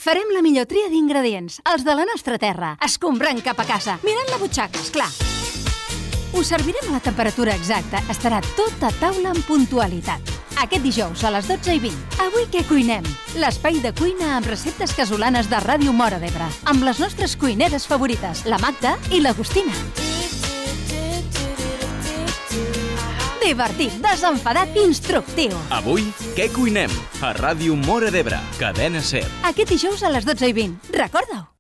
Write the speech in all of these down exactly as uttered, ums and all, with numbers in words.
Farem la millor tria d'ingredients, els de la nostra terra, escombrant cap a casa, mirant la butxaca, esclar. Us servirem a la temperatura exacta, estarà tot a taula amb puntualitat. Aquest dijous a les dotze i vint. Avui què cuinem? L'espai de cuina amb receptes casolanes de Ràdio Móra d'Ebre, amb les nostres cuineres favorites, la Magda i l'Agustina. Divertit, desenfadat i instructiu. Avui, què cuinem? A Ràdio Móra d'Ebre, Cadena SER. Aquest dijous a les dotze i vint. Recorda-ho.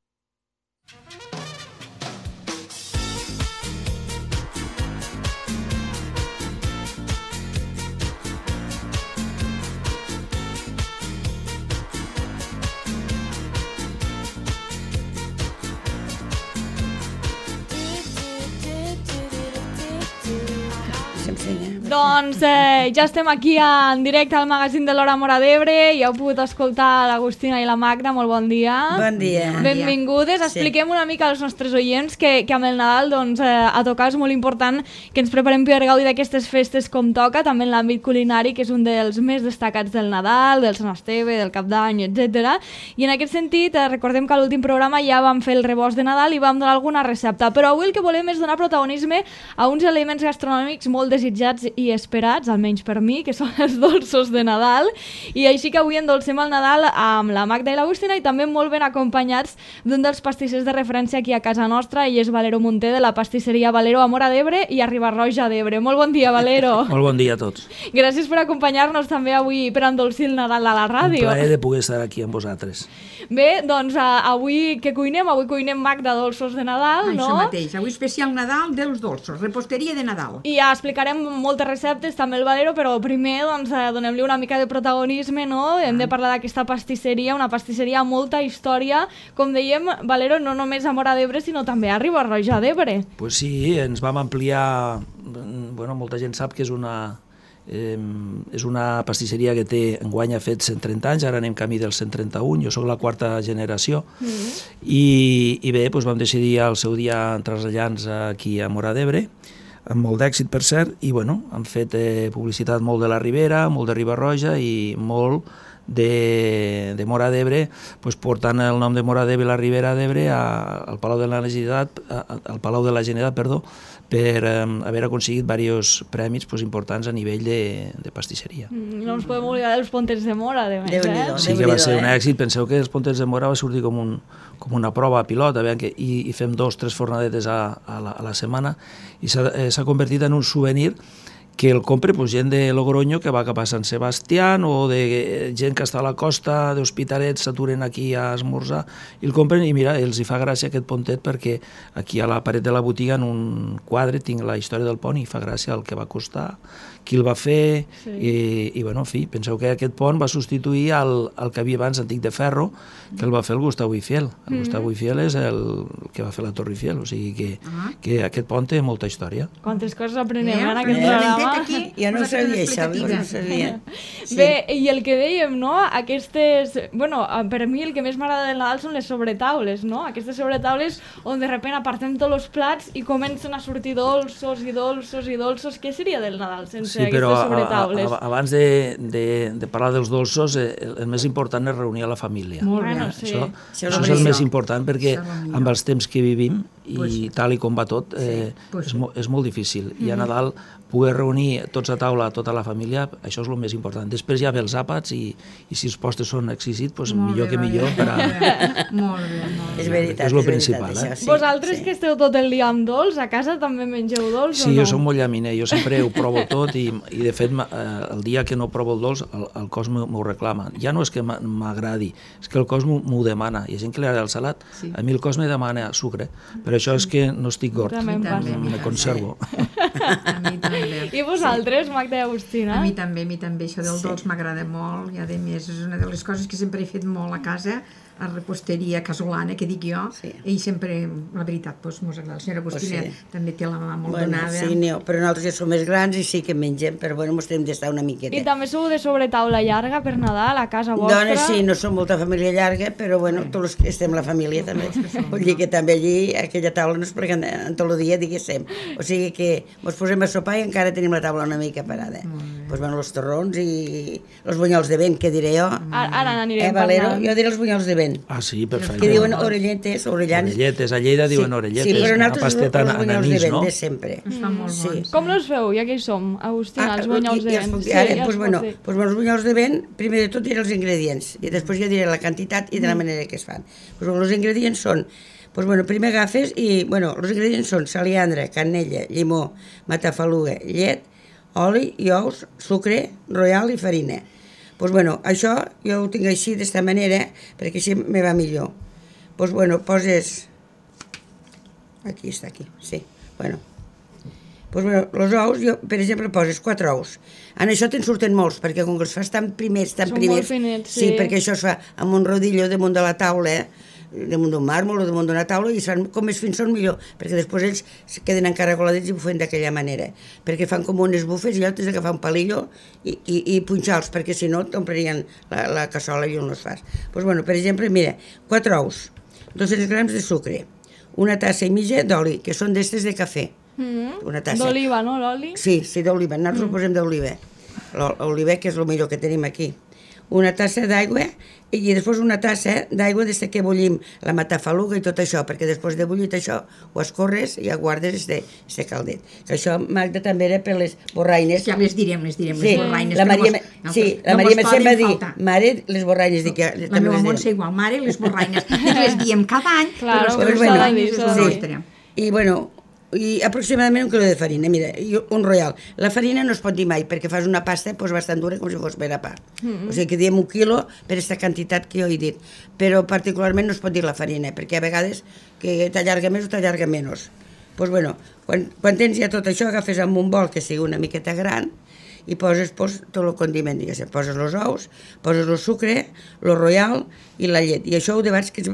Doncs eh, ja estem aquí en directe al magazín de l'Hora Móra d'Ebre i heu pogut escoltar l'Agustina i la Magda. Molt bon dia. Bon dia. Benvingudes. Sí. Expliquem una mica als nostres oients que, que amb el Nadal doncs, eh, a tocar és molt important que ens preparem per gaudir d'aquestes festes com toca, també en l'àmbit culinari, que és un dels més destacats del Nadal, del Sant Esteve, del Cap d'Any, etcètera. I en aquest sentit, eh, recordem que a l'últim programa ja vam fer el rebost de Nadal i vam donar alguna recepta, però avui el que volem és donar protagonisme a uns elements gastronòmics molt desitjats i esperats, almenys per mi, que són els dolços de Nadal, i així que avui endolcem el Nadal amb la Magda i l'Agustina i també molt ben acompanyats d'un dels pastissers de referència aquí a casa nostra, ell és Valero Munté de la pastisseria Valero a Móra d'Ebre i a Riba-roja d'Ebre. Molt bon dia, Valero. Molt bon dia a tots. Gràcies per acompanyar-nos també avui per endolcir el Nadal a la ràdio. Un plaer de poder estar aquí amb vosaltres. Bé, doncs avui què cuinem? Avui cuinem, Magda, dolços de Nadal, no? Això mateix, avui especial Nadal dels dolços, reposteria de Nadal. I ja explicarem moltes receptes, també el Valero, però primer doncs, donem-li una mica de protagonisme, no? Hem de parlar d'aquesta pastisseria, una pastisseria amb molta història, com dèiem, Valero, no només a Móra d'Ebre, sinó també a Riba-roja d'Ebre. Pues sí, ens vam ampliar, bueno, molta gent sap que és una... Eh, és una pastisseria que té, enguany ha fet cent trenta anys, ara anem camí del cent trenta-un, jo sóc la quarta generació, mm. i, i bé, doncs vam decidir al seu dia traslladar-nos aquí a Móra d'Ebre, amb molt d'èxit per cert, i bueno, han fet eh, publicitat molt de la Ribera, molt de Riba-roja i molt de, de Móra d'Ebre, doncs portant el nom de Móra d'Ebre i la Ribera d'Ebre al Palau de la Generalitat, al Palau de la Generalitat, perdó, per um, haver aconseguit diversos premis pues, importants a nivell de, de pastisseria. Mm, no ens podem oblidar dels Pontets de Móra, de més, eh? Sí que va ser un èxit. Penseu que els Pontets de Móra va sortir com, un, com una prova pilot, a que, i, i fem dos, tres fornadetes a, a, la, a la setmana, i s'ha eh, convertit en un souvenir que el compre pues, gent de Logroño que va cap a Sant Sebastià o de gent que està a la costa d'Hospitalet, s'aturen aquí a esmorzar i el compren i mira, els hi fa gràcia aquest pontet perquè aquí a la paret de la botiga en un quadre tinc la història del pont i fa gràcia el que va costar, qui el va fer, sí. i, i bueno, en fi, penseu que aquest pont va substituir el, el que havia abans antic de ferro, que el va fer el Gustau Eiffel. El mm-hmm. Gustau Eiffel és el que va fer la Torre Eiffel, o sigui que, uh-huh. que aquest pont té molta història. Quantes coses aprenem eh, en aquest programa. Aquí, jo no sabia això, no sabia. Sí. Bé, i el que dèiem, no? Aquestes... Bueno, per mi el que més m'agrada del Nadal són les sobretaules, no? Aquestes sobretaules on de repente apartem tots els plats i comencen a sortir dolços i dolços i dolços. Què seria del Nadal sense sí, però sobretaules? A, a, abans de, de, de parlar dels dolços, eh, el més important és reunir a la família. Molt bueno, sí. Això, això, això és el més important perquè amb els temps que vivim i pues, tal i com va tot, eh, sí, pues, és, mo, és molt difícil. Mm-hmm. I a Nadal poder reunir tots a taula, tota la família, això és el més important. Després ja ve els àpats i, i si els postres són exquisits, doncs molt millor bé, que millor. Per a... Molt bé, molt bé. És veritat, és el és principal. veritat, eh? sí, Vosaltres sí. que esteu tot el dia amb dolç, a casa també mengeu dolç sí, o no? Sí, jo soc molt llaminer, jo sempre ho provo tot i, i de fet el dia que no provo el dolç el, el cos m'ho reclama. Ja no és que m'agradi, és que el cos m'ho demana. Hi ha gent que li agrada el salat, sí. A mi el cos me demana sucre, però això és que no estic gord, me conservo. A mi també. I vosaltres, Magda i Agustina? A mi també, a mi també. Això del dolç m'agrada molt i a més és una de les coses que sempre he fet molt a casa, a reposteria casolana, que dic jo, sí. I sempre, la veritat, doncs, mos agrada. La senyora Agustina pues sí. També té la mà molt bueno, donada. Sí, no, però nosaltres ja som més grans i sí que mengem, però bueno, mos tenim d'estar una miqueta. I també sou de sobretaula llarga per Nadal, a casa vostra? Dones sí, no som molta família llarga, però bueno, sí. Tots els que estem la família també. Vull dir que també allí, a aquella taula, no es pleguen en tot el dia, diguéssim. O sigui que ens posem a sopar i encara tenim la taula una mica parada. Doncs bueno, els torrons i els bunyols de vent, que diré jo. Ara, ara n'anirem eh, Valero? parlant. Jo diré els bunyols de vent. Ah, sí, perfecte. Que diuen orelletes, orellans. Orelletes, a Lleida diuen sí, orelletes. Sí, però una nosaltres pasteta els bunyols anís, de vent, no? de sempre. Es fan molt Sí. bons. Com los feu? Ja que hi som, Agustina, els bunyols i, de i vent. els, Sí, ara, ja els doncs, bueno, pots dir. doncs, els bunyols de vent, primer de tot diré els ingredients i després ja diré la quantitat i de la manera que es fan. Doncs, bueno, els ingredients són, doncs, bueno, primer agafes i, bueno, els ingredients són saliandra, canella, llimó, matafaluga, llet, oli i ous, sucre, royal i farina. Doncs, bueno, això jo ho tinc així, d'esta manera, perquè així me va millor. Doncs, bueno, poses... Aquí està, aquí, sí. Bueno, doncs, bueno, els ous, jo, per exemple, poses quatre ous. En això te'n surten molts, perquè com que els fas tan primers, tan Són primers... molt finets, sí. sí. Perquè això es fa amb un rodillo damunt de la taula, damunt d'un màrmol o damunt d'una taula, i es fan com més fins són millor, perquè després ells es queden encaragoladets i ho fan d'aquella manera, perquè fan com unes bufes i allò tens d'agafar un palillo i, i, i punxar-los, perquè si no t'omplirien la, la cassola i on els fas. Doncs, bueno, per exemple, mira, quatre ous, dos-cents grams de sucre, una tassa i mitja d'oli, que són d'estes de cafè. Mm. Una tassa. D'oliva, no, l'oli? Sí, sí, d'oliva. Nosaltres mm. ho posem d'oliva. L'oliva, que és el millor que tenim aquí. Una tassa d'aigua i després una tassa d'aigua des que bullim la matafaluga i tot això, perquè després de bullit això ho escorres i ja guardes este, este caldet. Que això, Magda, també era per les borraines. Ja les direm, les direm, sí, les borraines. La Maria, no, sí, la no Maria Mercè va dir, faltar. mare, les borraines. Dic, ja, La meva Montse igual, mare, les borraines. I les diem cada any, Claro, però les però bueno, borraines és la sí. nostra. I, bueno, i aproximadament un quilo de farina, mira, i un royal. La farina no es pot dir mai, perquè fas una pasta pues, bastant dura com si fos per a pa. Mm-hmm. O sigui que diem un quilo per aquesta quantitat que jo he dit. Però particularment no es pot dir la farina, perquè a vegades que t'allarga més o t'allarga menys. Pues, bueno, quan, quan tens ja tot això, agafes amb un bol que sigui una miqueta gran i poses pues, tot el condiment, diguéssim. Poses els ous, poses el sucre, el royal i la llet. I això ho de que es,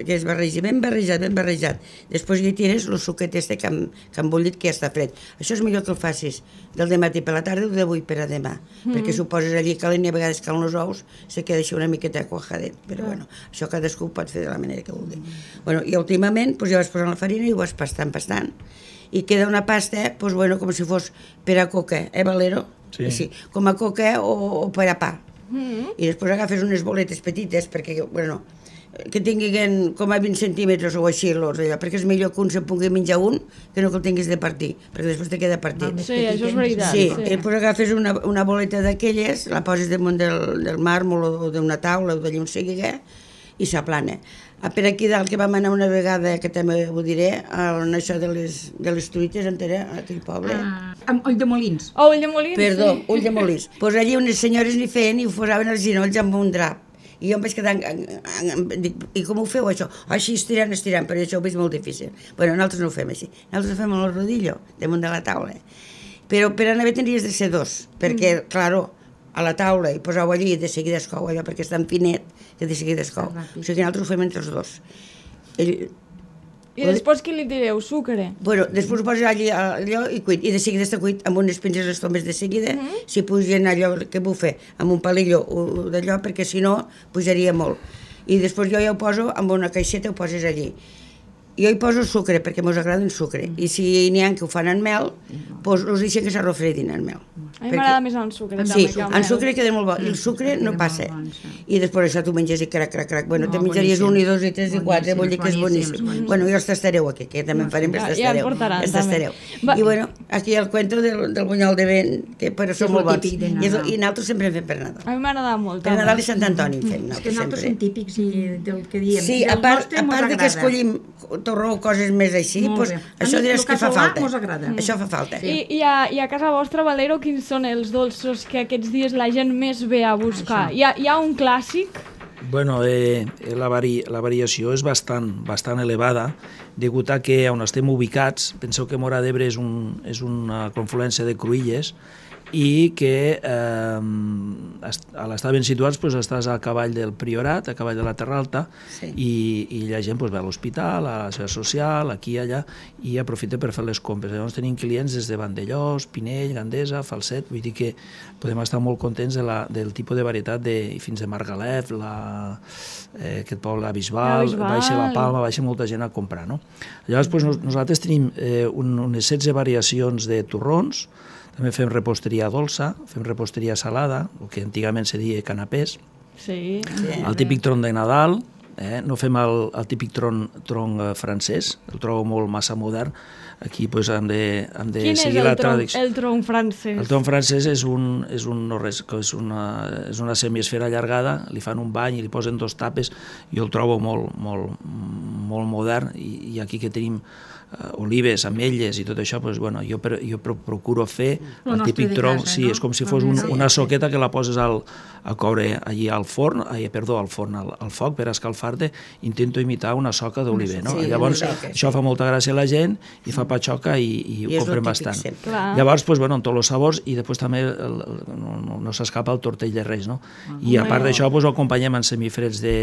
que es barregi ben barrejat, ben barrejat. Després hi tires el suquet este que han, que han bullit, que ja està fred. Això és millor que el facis del dematí per la tarda o d'avui per a demà. Mm. Perquè si ho poses allí calent i a vegades calen els ous, se queda així una miqueta quajadet. Però bueno, això cadascú ho pot fer de la manera que vulgui. Mm. Bueno, i últimament pues, ja vas posant la farina i ho vas pastant, pastant. I queda una pasta, pues, bueno, com si fos per a coca, eh, Valero? Sí. Així, com a coca o, o per a pa. Mm. I després agafes unes boletes petites, perquè, bueno, que tinguin com a vint centímetres o així, l'os, allò, perquè és millor que un se pugui menjar un que no que el tinguis de partir, perquè després te queda partit. Sí, això és veritat. Sí, sí. i després agafes una, una boleta d'aquelles, la poses damunt del, del màrmol o d'una taula o d'allà on sigui, i s'aplana. Per aquí dalt, que vam anar una vegada, que també ho diré, en això de les, de les truites, entera, a aquell poble. Ah, amb ull de molins. Oh, ull de molins, Perdó, sí. ull de molins. Pues allí unes senyores n'hi feien i ho posaven als ginolls amb un drap. I jo em vaig quedar... En, en, en, dic, i com ho feu, això? Així, estirant, estirant, però això ho veig molt difícil. Bueno, nosaltres no ho fem així. Nosaltres ho fem amb el rodillo, damunt de la taula. Però per anar bé tindries de ser dos, perquè, mm. claro, a la taula i poseu allí i de seguida es cou allò, perquè és tan finet que de seguida es cou. O sigui que nosaltres ho fem entre els dos. Ell, I després què li direu? Sucre? Bueno, després ho poses allí allò i cuit, i de seguida està cuit amb unes pinces les tombes de seguida, mm -hmm. si pugen allò que bufe amb un palillo d'allò, perquè si no pujaria molt. I després jo ja ho poso amb una caixeta, ho poses allí. Jo hi poso sucre, perquè mos agrada el sucre, i si n'hi ha que ho fan en mel, doncs us deixen que s'arrofredin en mel. A mi m'agrada més en sucre, sí, també. en sucre queda molt bo, i el sucre no passa. I després això tu menges i crac, crac, crac. Bueno, te menjaries un i dos i tres i quatre, vull dir que és boníssim. Bueno, jo els tastareu aquí, que també en farem, els tastareu. Els tastareu. I bueno, aquí el cuento del, del bunyol de vent, que però són molt bons. I nosaltres sempre en fem per Nadal. A mi m'agrada molt. Per Nadal i Sant Antoni en fem, És que nosaltres som típics del que diem. Sí, a part de que escollim torró o coses més així, això diràs que fa falta. Això fa falta. I a casa vostra, Valero, quins són els dolços que aquests dies la gent més ve a buscar? Hi ha, hi ha un clàssic? Bueno, eh, la, vari, la variació és bastant, bastant elevada, degut a que on estem ubicats, penseu que Móra d'Ebre és, un, és una confluència de cruïlles, i que eh, a l'estar ben situats doncs, estàs a cavall del Priorat, a cavall de la Terra Alta, sí. i, i la gent doncs, ve a l'hospital, a la seva social, aquí i allà, i aprofita per fer les compres. Llavors tenim clients des de Vandellós, Pinell, Gandesa, Falset, vull dir que podem estar molt contents de la, del tipus de varietat de, fins de Margalef, la, eh, aquest poble, la Bisbal, la Bisbal, baixa la Palma, baixa molta gent a comprar. No? Llavors doncs, nos, nosaltres tenim eh, un, unes setze variacions de torrons. També fem reposteria dolça, fem reposteria salada, el que antigament se deia canapés, sí. el típic tron de Nadal, eh? no fem el, el típic tron, tron francès, el trobo molt massa modern, aquí pues, hem de, hem de seguir la tradició. Quin és el tron francès? El tron francès és, un, és, un, no res, és, una, és una semiesfera allargada, li fan un bany i li posen dos tapes, jo el trobo molt, molt, molt modern, i, i aquí que tenim Uh, olives, ametlles i tot això, pues, bueno, jo, per, jo procuro fer el, el típic tronc, sí, no? És com si fos un, una soqueta que la poses al, a coure allí al forn, ai, perdó, al forn, al, al foc per escalfar-te, intento imitar una soca d'oliver, no? Sí, llavors, sí, això sí. fa molta gràcia a la gent i fa patxoca i, i, I ho compren bastant. Llavors, pues, bueno, en tots els sabors, i després també el, el, no, no, no s'escapa el tortell de Reis, no? Ah, I a part d'això, pues, ho acompanyem en semifreds de,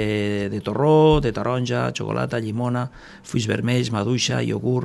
de torró, de taronja, xocolata, llimona, fulls vermells, maduixa, iogurt,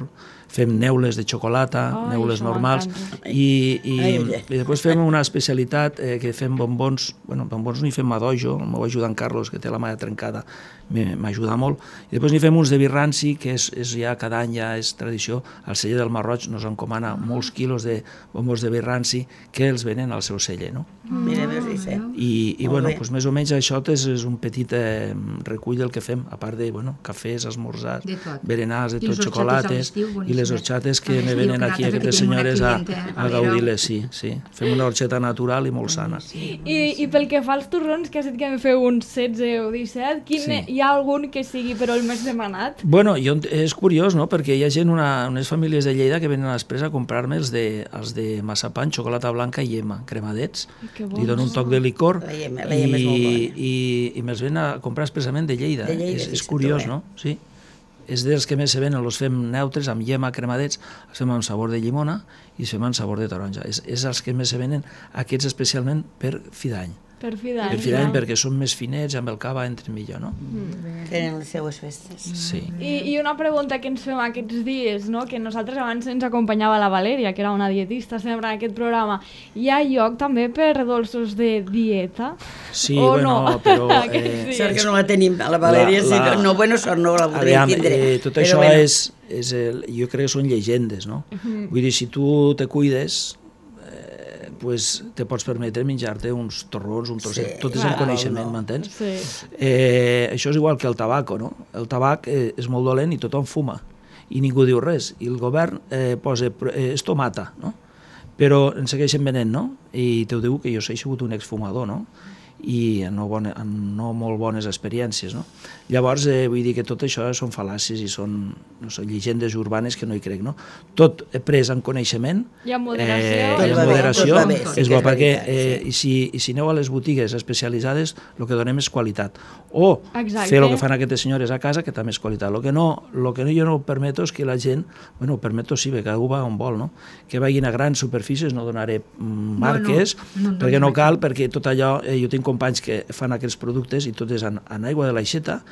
fem neules de xocolata, oh, neules normals, i, i, i després fem una especialitat eh, que fem bombons, bueno, bombons n'hi fem a dojo, el meu ajudant Carlos, que té la mà trencada, m'ajuda molt, i després n'hi fem uns de birranci, que és, és ja cada any ja és tradició, el celler del Marroig nos encomana molts quilos de bombons de birranci que els venen al seu celler, no? Mira, sí. I, i bueno, pues, més o menys això és, és un petit eh, recull del que fem, a part de bueno, cafès, esmorzars, berenars, de tot, xocolates, i les orxates que me venen aquí aquestes senyores a, a gaudir-les, sí, sí. Fem una orxeta natural i molt sana. I, i pel que fa als torrons, que has dit que en feu uns setze o disset, quin, sí. hi ha algun que sigui però el més demanat? Bueno, jo, és curiós, no?, perquè hi ha gent, una, unes famílies de Lleida que venen després a comprar-me els de, els de maçapan, xocolata blanca i llema, cremadets, li dono un toc de licor la llema, la llema i, és molt bona. i, i me'ls ven a comprar expressament de Lleida. De Lleida és, és curiós, no? Sí. És dels que més se venen, els fem neutres, amb llema, cremadets, els fem amb sabor de llimona i els fem amb sabor de taronja. És, és els que més se venen, aquests especialment per fi d'any. Per fi d'any. Per fi d'any, perquè són més finets, amb el cava entren millor, no? Mm. Tenen les seues festes. Sí. I, I una pregunta que ens fem aquests dies, no?, que nosaltres abans ens acompanyava la Valèria, que era una dietista sempre en aquest programa. Hi ha lloc també per dolços de dieta? Sí, o bueno, no? però... Eh, sort que no la tenim, a la Valèria, la, la... sí, no, bueno, sort no la voldríem tindre. Eh, tot però això bueno. és, és el, jo crec que són llegendes, no? Uh-huh. Vull dir, si tu te cuides, pues te pots permetre menjar-te uns torrons, un trosset, sí, tot és en coneixement, no. M'entens? Sí. Eh, això és igual que el tabaco, no? El tabac eh, és molt dolent i tothom fuma, i ningú diu res, i el govern eh, posa, eh, esto mata, no? Però en segueixen venent, no? I te ho diu que jo he sigut un exfumador, no? I en no, bona, en no molt bones experiències, no? Llavors, eh, vull dir que tot això són fal·làcies i són, no sé, llegendes urbanes que no hi crec, no? Tot pres en coneixement, i amb moderació, eh, i amb moderació bé, bé, és bo, perquè eh, i, si, i si aneu a les botigues especialitzades, el que donem és qualitat. O Exacte. Fer el que fan aquestes senyores a casa, que també és qualitat. El que no, lo que no, jo no permeto és que la gent, bueno, permeto sí, que cadascú va on vol, no? Que vagin a grans superfícies, no donaré marques, no, no, no, perquè no cal, perquè tot allò, eh, jo tinc companys que fan aquests productes i tot és en, en aigua de l'aixeta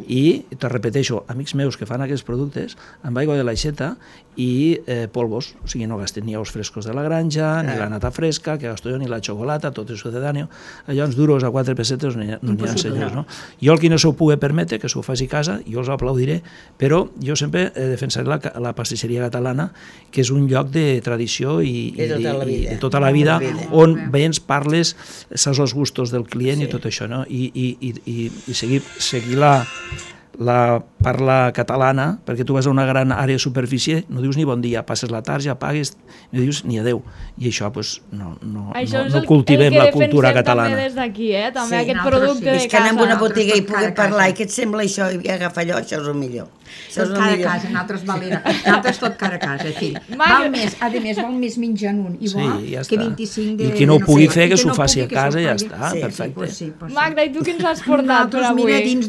i, te repeteixo, amics meus que fan aquests productes amb aigua de l'aixeta i eh, polvos, o sigui, no gasten ni ous frescos de la granja, ni la nata fresca, que gasto jo, ni la xocolata, tot és sucedáneo, allò uns duros a quatre pessetes no n'hi ha, no n'hi ha senyors, no? Jo el que no s'ho pugui permetre, que s'ho faci a casa, jo els aplaudiré, però jo sempre eh, defensaré la, la pastisseria catalana, que és un lloc de tradició i, i, de, tota i de tota la vida, on veient parles, saps els gustos del client sí. I tot això, no? I, i, i, i seguir, seguir la, la parla catalana, perquè tu vas a una gran àrea de superfície, no dius ni bon dia, passes la tarja, apagues, no dius ni adeu. I això, doncs, no, no, no, no cultivem la cultura catalana. També des d'aquí, eh? També sí, aquest producte sí. de casa. És que anem a una botiga i puguem parlar, i què et sembla això? I agafa allò, això és el millor. Tot cara a casa, nosaltres valera. Nosaltres tot cara a casa, fill. Val més, a més, val més menjar en un i bo sí, ja que vint-i-cinc de... I qui no ho pugui fer, que s'ho faci a casa i ja està, perfecte. Magda, i tu què ens has portat per avui? Nosaltres, mira, dins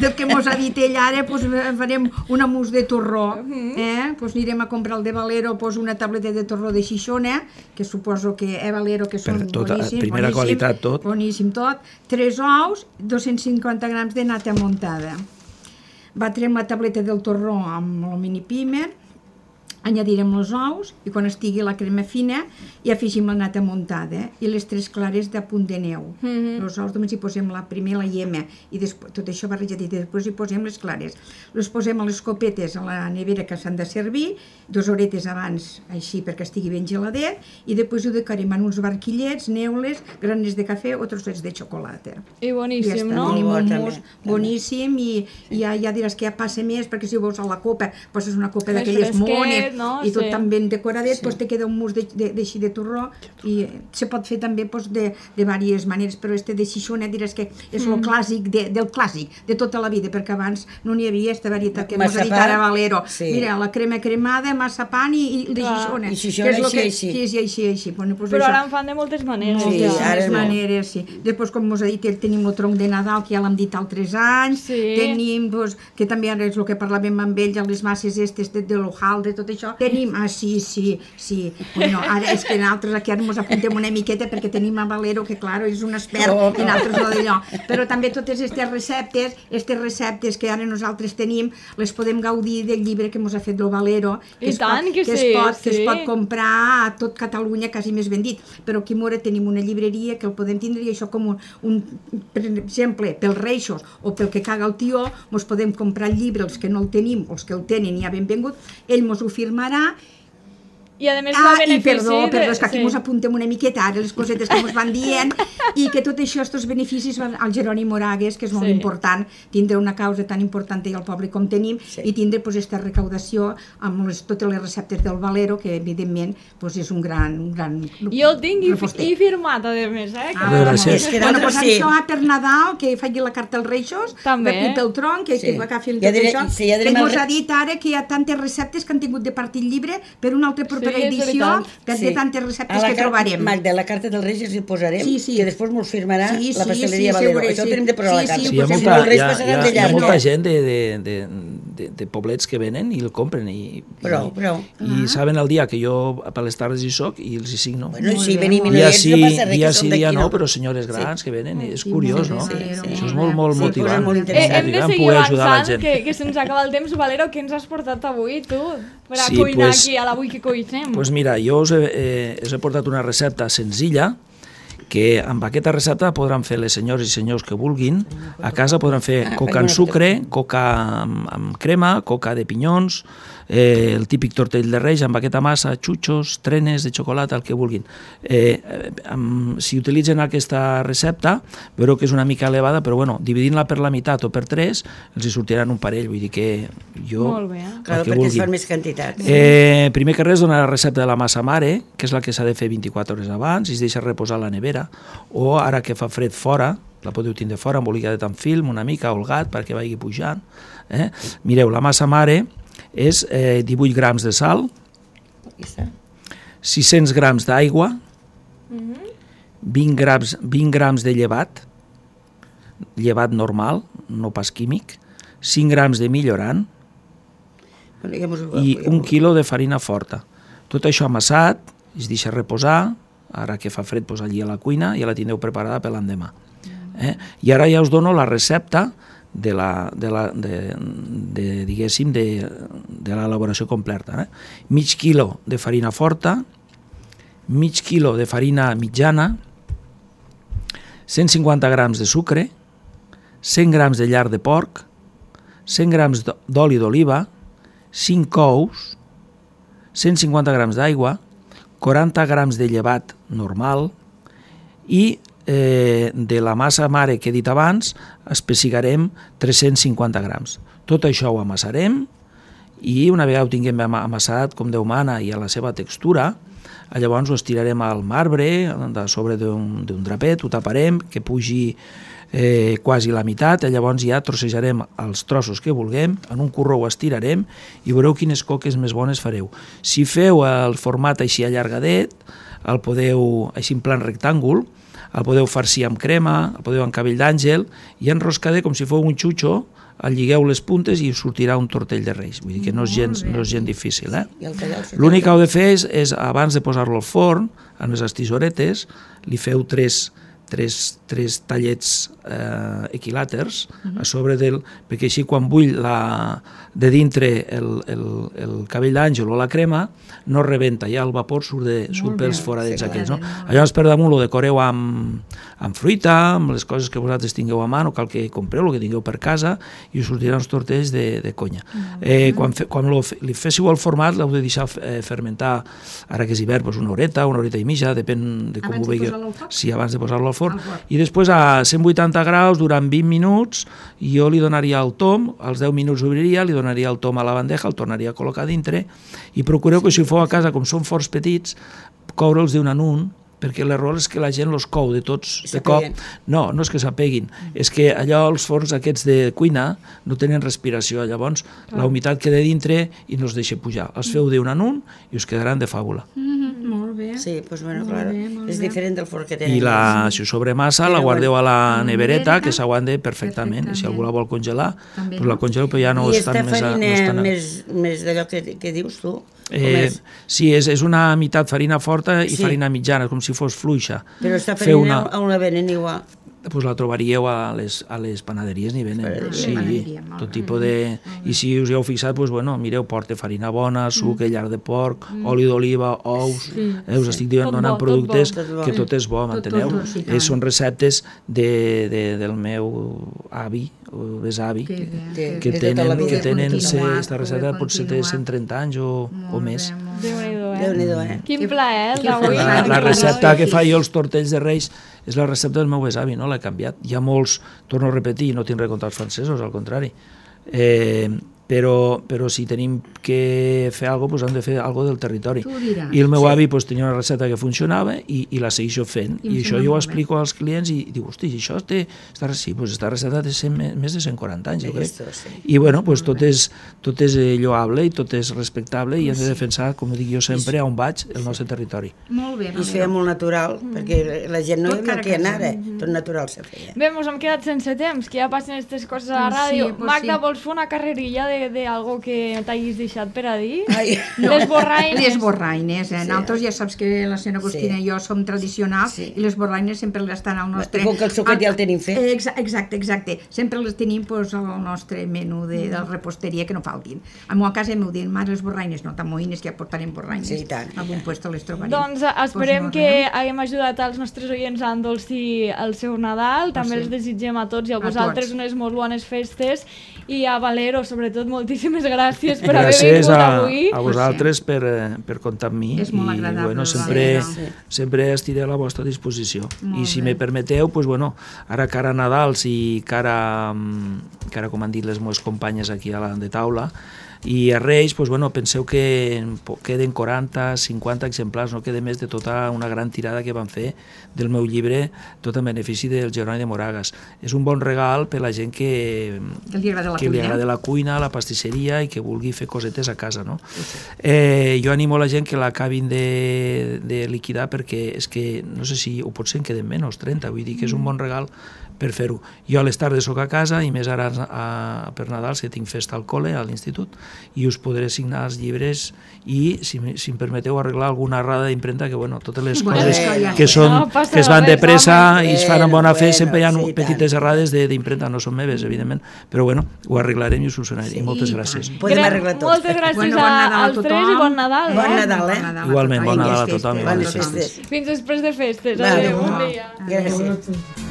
del que mos ha Vitell ara pues, farem una mousse de torró, eh? Pues anirem a comprar el de Valero, pues, una tableta de torró de Xixona, que suposo que és Valero, que són tot, boníssims, primera boníssim, qualitat, tot. Boníssim tot. Tres ous, dos-cents cinquanta grams de nata muntada. Batrem la tableta del torró amb el mini pimer, añadirem els ous i quan estigui la crema fina hi afegim la nata muntada i les tres clares de punt de neu. Mm-hmm. Els ous només hi posem la primer la iema i després, tot això barrejat i després hi posem les clares. Les posem a les copetes a la nevera que s'han de servir, dues horetes abans així perquè estigui ben geladet i després ho decorem en uns barquillets, neules, granes de cafè o trossets de xocolata. I boníssim, ja no? Tenim Molt un bo, mousse també. boníssim i, i ja, ja diràs que ja passa més perquè si ho veus a la copa poses una copa Més d'aquelles fresquet, mones no? i tot Sí. tan ben decoradet, sí. Pues te queda un mousse d'així de, de torró i se pot fer també pues, de, de diverses maneres, però este de Xixona diràs que és mm. el clàssic de, del clàssic de tota la vida, perquè abans no n'hi havia aquesta varietat que ens ha dit ara Valero. Sí. Mira, la crema cremada, massapán i, i de Xixona. I Xixona que és així, que, així. Sí, sí, així, així. Bueno, pues Però això. ara en fan de moltes maneres. Sí, ja. ara Moltes no. maneres, sí. Després, com us ha dit, tenim el tronc de Nadal, que ja l'hem dit altres anys. Sí. Tenim, doncs, que també ara és el que parlàvem amb ells, les masses estes de, de l'hojaldre, tot això. Tenim, ah, sí, sí, sí. Bueno, ara és que nosaltres aquí ara ens apuntem una miqueta perquè tenim a Valero, que, clar, és un expert, Oh, i nosaltres no d'allò. Però també totes aquestes receptes, aquestes receptes que ara nosaltres tenim, les podem gaudir del llibre que ens ha fet el Valero, que, I es, tant pot, que que, sí, es pot, que sí. es pot comprar a tot Catalunya, quasi més ben dit. Però aquí a Mora tenim una llibreria que el podem tindre i això com un, un per exemple, pels Reixos o pel que caga el tió, ens podem comprar el llibre, els que no el tenim, els que el tenen ja benvingut, ell ens ho firmarà. I a més Ah, la i benefici... perdó, perdó, és que aquí sí. ens apuntem una miqueta ara les cosetes que ens van dient i que tot això, aquests beneficis van al Jeroni Moragues, que és molt Sí. important tindre una causa tan important i al poble com tenim, Sí. i tindre pues, aquesta recaudació amb les, totes les receptes del Valero, que evidentment pues, és un gran, un gran Jo el tinc i, reposter. i firmat, a més, eh? Ah, Bé, gràcies. és que Bueno, bueno, pues, sí. això per Nadal, que faci la carta als Reixos, També. i pel tronc, que, Sí. que agafin Ja tot diré- això. sí, ja direm que el ens re- ha dit ara que hi ha tantes receptes que han tingut de partir llibre per una altra propera Sí, és edició, veritat. que Sí. té tantes A receptes la que car- trobarem. Magda, la carta dels Reis hi posarem, Sí, sí. que després mos firmarà Sí, la sí, pasteleria sí, Valero. segure, Això sí. ho tenim de posar a la Sí, carta. sí, Sí, hi ha, pues Si molta, no, els Reis hi ha, passaran hi ha, d'allà, hi ha molta no? gent de, de, de, de, de poblets que venen i el compren i, Prou, i, prou. i saben el dia que jo per les tardes hi soc i els hi signo. Bueno, i Molt si bé, venim i molt no dia hi ets, sí, no passa res, dia que sí, som dia d'aquí, no, però senyores grans que venen, i és Sí, curiós, molt no? bé, sí, Això és sí. molt, molt Sí, motivant. molt Eh, interessant. hem de Motivant seguir poder ajudar la avançant, gent. que, que se'ns acaba el temps. Valero, què ens has portat avui, tu? Per a Sí, cuinar pues- aquí a l'avui que cuinem. Pues mira, jo us he, eh, us he portat una recepta senzilla que amb aquesta recepta podran fer les senyores i senyors que vulguin. A casa podran fer Ah, coca faig amb una sucre, coca amb, amb crema, coca de pinyons, eh, el típic tortell de Reis amb aquesta massa, xutxos, trenes de xocolata, el que vulguin. Eh, eh, amb, si utilitzen aquesta recepta, veureu que és una mica elevada, però bueno, dividint-la per la meitat o per tres, els hi sortiran un parell, vull dir que jo... Molt bé. el Claro, que perquè es vulguin. fan més quantitats. Eh, primer que res, donar la recepta de la massa mare, que és la que s'ha de fer vint-i-quatre hores abans i es deixa reposar a la nevera, o ara que fa fred fora, la podeu tindre fora, embolicadet amb film, una mica, holgat, perquè vagi pujant. Eh? Mireu, la massa mare és eh, divuit grams de sal, Aquí està. sis-cents grams d'aigua, vint grams, vint grams de llevat, llevat normal, no pas químic, cinc grams de millorant, Bueno, ja mos ho- i ja un mos- quilo de farina forta. Tot això amassat, es deixa reposar, ara que fa fred, doncs allí a la cuina, ja la tindreu preparada per l'endemà. Eh? I ara ja us dono la recepta de la, de la, de, de, diguéssim, de, de l'elaboració completa. Eh? Mig quilo de farina forta, mig quilo de farina mitjana, cent cinquanta grams de sucre, cent grams de lard de porc, cent grams d'oli d'oliva, cinc ous, cent cinquanta grams d'aigua, quaranta grams de llevat normal i eh, de la massa mare que he dit abans espessigarem tres-cents cinquanta grams. Tot això ho amassarem i una vegada ho tinguem amassat com Déu mana i a la seva textura, llavors ho estirarem al marbre a sobre d'un drapet, ho taparem, que pugi eh, quasi la meitat, llavors ja trossejarem els trossos que vulguem, en un corró ho estirarem i veureu quines coques més bones fareu. Si feu el format així allargadet, el podeu, així en plan rectàngul, el podeu farcir amb crema, el podeu amb cabell d'àngel, i enroscada com si fos un xutxo, el lligueu les puntes i us sortirà un tortell de Reis. Vull dir que no és gens, no és gens difícil. Eh? L'únic que heu de fer és, és abans de posar-lo al forn, amb les estisoretes, li feu tres, tres, tres tallets eh, equilàters a sobre del... perquè així quan bull la, de dintre el, el, el cabell d'àngel o la crema, no rebenta, ja el vapor surt, de, surt pels foradets aquests. No? Llavors per damunt ho decoreu amb, amb fruita, amb les coses que vosaltres tingueu a mà, no cal que compreu el que tingueu per casa, i us sortiran uns tortells de, de conya. Eh, quan fe, quan lo, li féssiu el format, l'heu de deixar eh, fermentar, ara que és hivern, doncs una horeta, una horeta i mitja, depèn de com abans ho veieu. Sí, abans de posar-lo al forn. I després a cent vuitanta graus durant vint minuts, jo li donaria el tom, als deu minuts obriria, li donaria el tom a la bandeja, el tornaria a col·locar dintre, i procureu que si ho feu a casa, com són forts petits, coure'ls d'un en un, perquè l'error és que la gent els cou de tots de cop. No, no és que s'apeguin, és que allò, els forns aquests de cuina no tenen respiració, llavors la humitat queda dintre i no els deixa pujar. Els feu d'un en un i us quedaran de fàbula. Molt bé. Sí, doncs bueno, clar, és diferent del forn que tenen. I la, si us sobremassa, la guardeu a la nevereta, que s'aguante perfectament, i si algú la vol congelar, doncs la congeleu, però ja no estan més... I esta farina més d'allò que dius tu? Eh, sí, és, és una meitat farina forta i sí. farina mitjana, com si fos fluixa. Però aquesta farina una... on la venen igual? Pues la trobaríeu a les, a les panaderies, n'hi venen. Sí, tot tipus de... I si us hi heu fixat, pues, bueno, mireu, porta farina bona, suc, mm. llar de porc, mm. oli d'oliva, ous... Sí. Eh, us estic dient, donant bo, productes tot bo, tot que tot és bo, m'enteneu? Eh, són receptes de, de, del meu avi, o besavi, que, que, que tenen, que tenen aquesta recepta potser té cent trenta anys o, o més. Déu-n'hi-do, eh? Déu-n'hi-do, eh? Quin plaer, d'avui. La, la recepta que fa jo els tortells de Reis és la recepta del meu besavi, no l'he canviat. Hi ha molts, torno a repetir, no tinc res contra els francesos, al contrari. Eh, però, però si tenim que fer alguna cosa, doncs hem de fer alguna del territori. I el meu sí. avi doncs, tenia una recepta que funcionava i, i la segueixo fent. I, I això jo ho explico als clients i, i dic, hosti, això té, està, sí, doncs esta recepta té cent, més de cent quaranta anys, jo crec. I bueno, doncs, tot, és, tot és lloable i tot és respectable i hem de defensar, com dic jo sempre, on vaig, el nostre territori. Molt bé. I es feia molt natural, perquè la gent no hi que anar, tot natural se feia. Bé, ens hem quedat sense temps, que ja passen aquestes coses a la ràdio. Magda, vols fer una carrerilla de d'algo que t'hagis deixat per a dir? Ai, no. Les borraines. Les borraines, eh? Sí. Nosaltres ja saps que la senyora Agustina sí. i jo som tradicionals sí. i les borraines sempre les estan al nostre... Com que el suquet ja el tenim fet. Exacte, exacte. Sempre les tenim pues, al nostre menú de, de reposteria que no faltin. A la casa m'ho diuen, mare, les borraines, no t'amoïnes que ja portarem borraines. Sí, tant. A algun lloc les trobarem. Doncs esperem pues no, que no? haguem ajudat als nostres oients a endolcir el seu Nadal. També els desitgem a tots i a vosaltres unes molt bones festes i a Valero, sobretot, moltíssimes gràcies per haver vingut avui. Gràcies a vosaltres per, per comptar amb mi. És molt agradable. I, bueno, sempre, sí. sempre estiré a la vostra disposició. Molt I si bé. me permeteu, pues, bueno, ara cara a Nadals i cara, cara, com han dit les meves companyes aquí a la de taula, i a Reis, pues, bueno, penseu que queden quaranta, cinquanta exemplars, no queda més de tota una gran tirada que van fer del meu llibre, tot en benefici del Jeroni de Moragas. És un bon regal per la gent que, que li agrada la, que cuina. Li agrada la cuina, la pastisseria i que vulgui fer cosetes a casa. No? Eh, jo animo la gent que l'acabin de, de liquidar perquè és que, no sé si ho potser en queden menys, trenta, vull dir que és un bon regal per fer-ho. Jo a les tardes soc a casa i més ara a, per Nadal que tinc festa al col·le, a l'institut, i us podré signar els llibres i, si, si em permeteu, arreglar alguna errada d'impremta, que bueno, totes les bueno, coses eh, que, són, no, que es van de pressa i es fan amb bona fe, bueno, sempre hi ha sí, petites tant. errades d'impremta, no són meves, evidentment, però bueno, ho arreglarem i us ho sonaré. Sí, moltes gràcies. Podem arreglar tot. Moltes gràcies bueno, bon als tres i bon Nadal. Bon eh? Nadal, eh? Igualment, bon Nadal a tothom. Bones festes. Fins després de festes. Vale. Adéu, bon dia. Gràcies.